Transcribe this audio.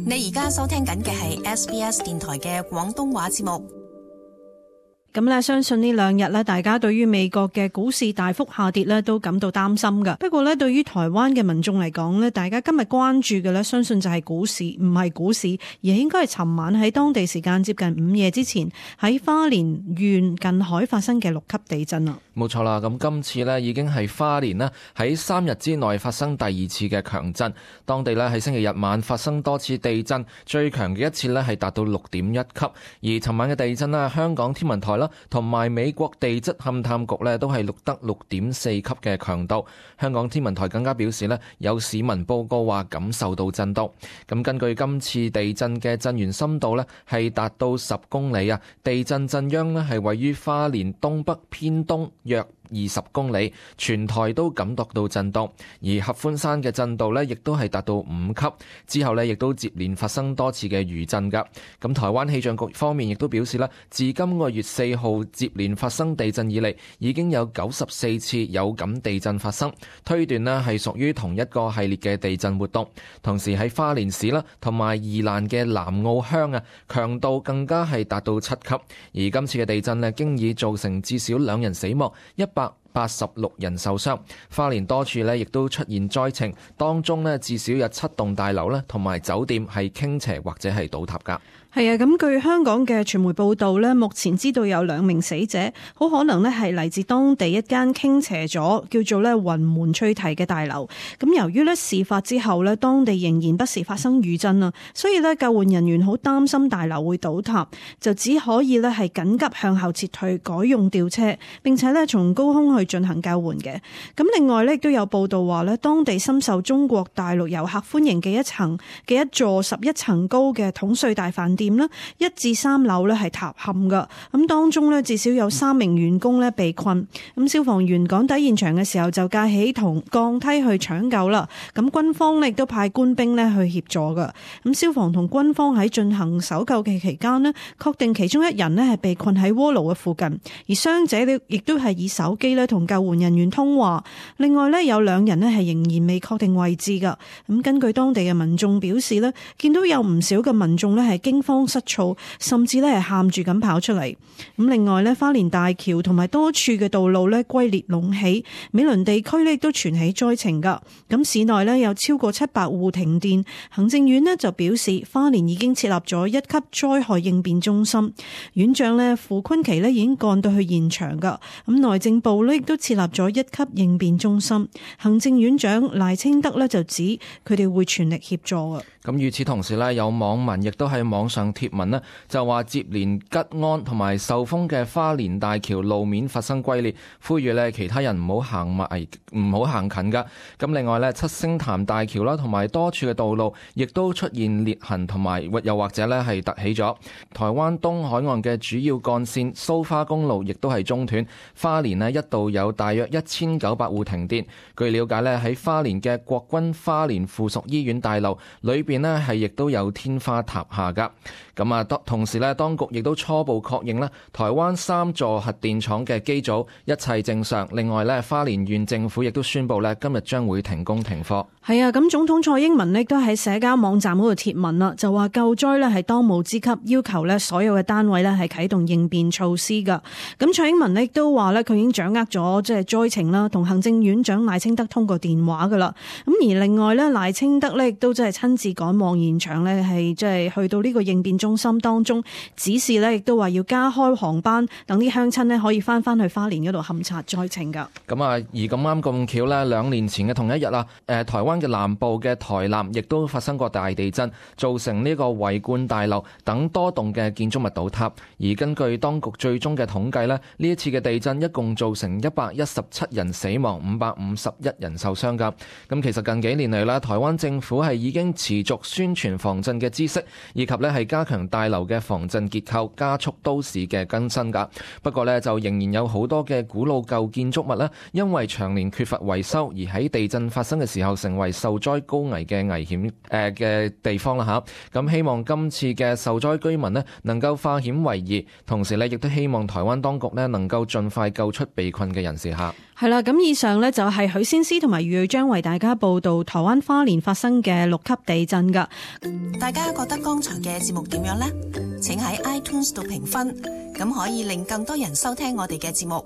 你而家收聽緊嘅係 SBS 電台嘅廣東話節目。咁咧，相信呢兩日咧，大家對於美國嘅股市大幅下跌咧，都感到擔心噶。不過咧，對於台灣嘅民眾嚟講咧，大家今日關注嘅咧，相信就係股市，唔係股市，而係應該係尋晚喺當地時間接近午夜之前，喺花蓮縣近海發生嘅6級地震啦。冇錯啦，咁今次呢已經係花蓮呢喺3日之內發生第2次嘅強震，當地呢喺星期日晚發生多次地震，最強嘅一次呢係達到6.1級，而尋晚嘅地震呢，香港天文台啦同埋美國地質勘探局呢都係錄得6.4級嘅強度。香港天文台更加表示呢，有市民報告話感受到震動。咁根據今次地震嘅震源深度呢係達到10公里啊，地震震央呢係位於花蓮東北偏東約20公里，全台都感覺到震動，而合歡山嘅震度呢亦都係達到5級，之後呢亦都接連發生多次嘅餘震噶。咁台灣氣象局方面亦都表示啦，自今個月4號接連發生地震以嚟，已經有94次有感地震發生，推斷呢係屬於同一個系列嘅地震活動。同時喺花蓮市啦同埋宜蘭嘅南澳鄉啊，強度更加係達到7級，而今次嘅地震呢經已造成至少2人死亡，186人受傷。花蓮多處呢亦都出現災情，當中呢至少有7棟大樓呢同埋酒店係傾斜或者係倒塌㗎。係啊，咁據香港嘅傳媒報道呢，目前知道有2名死者，好可能呢係嚟自當地一間傾斜咗叫做呢雲門翠堤嘅大樓。咁由於呢事發之後呢，當地仍然不時發生餘震啊，所以呢救援人員好擔心大樓會倒塌，就只可以呢係緊急向後撤退，改用吊車，並且呢從高空去進行救援嘅。咁另外呢亦都有報道話呢，當地深受中國大陸遊客歡迎嘅一座11層高嘅統帥大飯店1至3樓係塌陷噶，咁當中至少有3名員工被困，咁消防員趕抵現場嘅時候就架起同降梯去搶救啦，咁軍方亦都派官兵去協助噶，咁消防同軍方喺進行搜救嘅期間確定其中1人係被困喺鍋爐嘅附近，而傷者亦都係以手機同救援人員通話，另外有2人係仍然未確定位置噶，咁根據當地嘅民眾表示見到有唔少嘅民眾係驚慌失措，甚至係喊住咁跑出嚟。咁另外花蓮大橋同埋多處嘅道路龜裂隆起，美崙地區亦都傳起災情噶。咁市內有超過700戶停電，行政院就表示花蓮已經設立咗1級災害應變中心，院長傅昆萁已經趕到去現場噶。咁內政部亦都設立咗1級應變中心，行政院長賴清德就指佢哋會全力協助啊。咁與此同時有網民亦都喺網上貼文就話接連吉安同埋壽豐嘅花蓮大橋路面發生龜裂，呼籲其他人唔好行近噶。咁另外七星潭大橋啦同埋多處嘅道路亦都出現裂痕，同埋又或者係凸起咗。台灣東海岸嘅主要幹線蘇花公路亦都係中斷，花蓮一度有大約1900戶停電。據了解喺花蓮嘅國軍花蓮附屬醫院大樓裏邊係亦都有天花塌下噶。咁同時當局亦都初步確認台灣3座核電廠嘅機組一切正常。另外花蓮縣政府亦都宣布今日將會停工停課。係啊，咁總統蔡英文亦都喺社交網站嗰度貼文啦，就話救災係當務之急，要求所有嘅單位係啟動應變措施噶。咁蔡英文亦都話佢已經掌握咗即係災情啦，同行政院長賴清德通過電話噶啦。咁而另外賴清德亦都即係親自趕往現場係即係去到呢個應變中心當中，指示亦都話要加開航班，等啲鄉親可以翻去花蓮嗰度勘察災情噶。咁而咁啱咁巧2年前嘅同一日台灣嘅南部嘅台南亦都發生過大地震，造成呢個維冠大樓等多棟嘅建築物倒塌。而根據當局最終嘅統計呢一次嘅地震一共造成117人死亡，551人受傷噶。咁其實近幾年嚟台灣政府係已經持續宣傳防震嘅知識，以及係加強大樓嘅防震結構，加速都市嘅更新噶。不過就仍然有好多嘅古老舊建築物因為長年缺乏維修，而喺地震發生嘅時候成為受災高危嘅危險嘅地方啦吓。咁希望今次嘅受災居民能夠化險為夷，同時亦都希望台灣當局能夠盡快救出被困嘅人士吓。係啦，咁以上呢就係許先思同埋余瑞章為大家報道台灣花蓮發生嘅6級地震噶。大家覺得剛才嘅節目點樣呢？請喺 iTunes 度評分，咁可以令更多人收聽我哋嘅節目。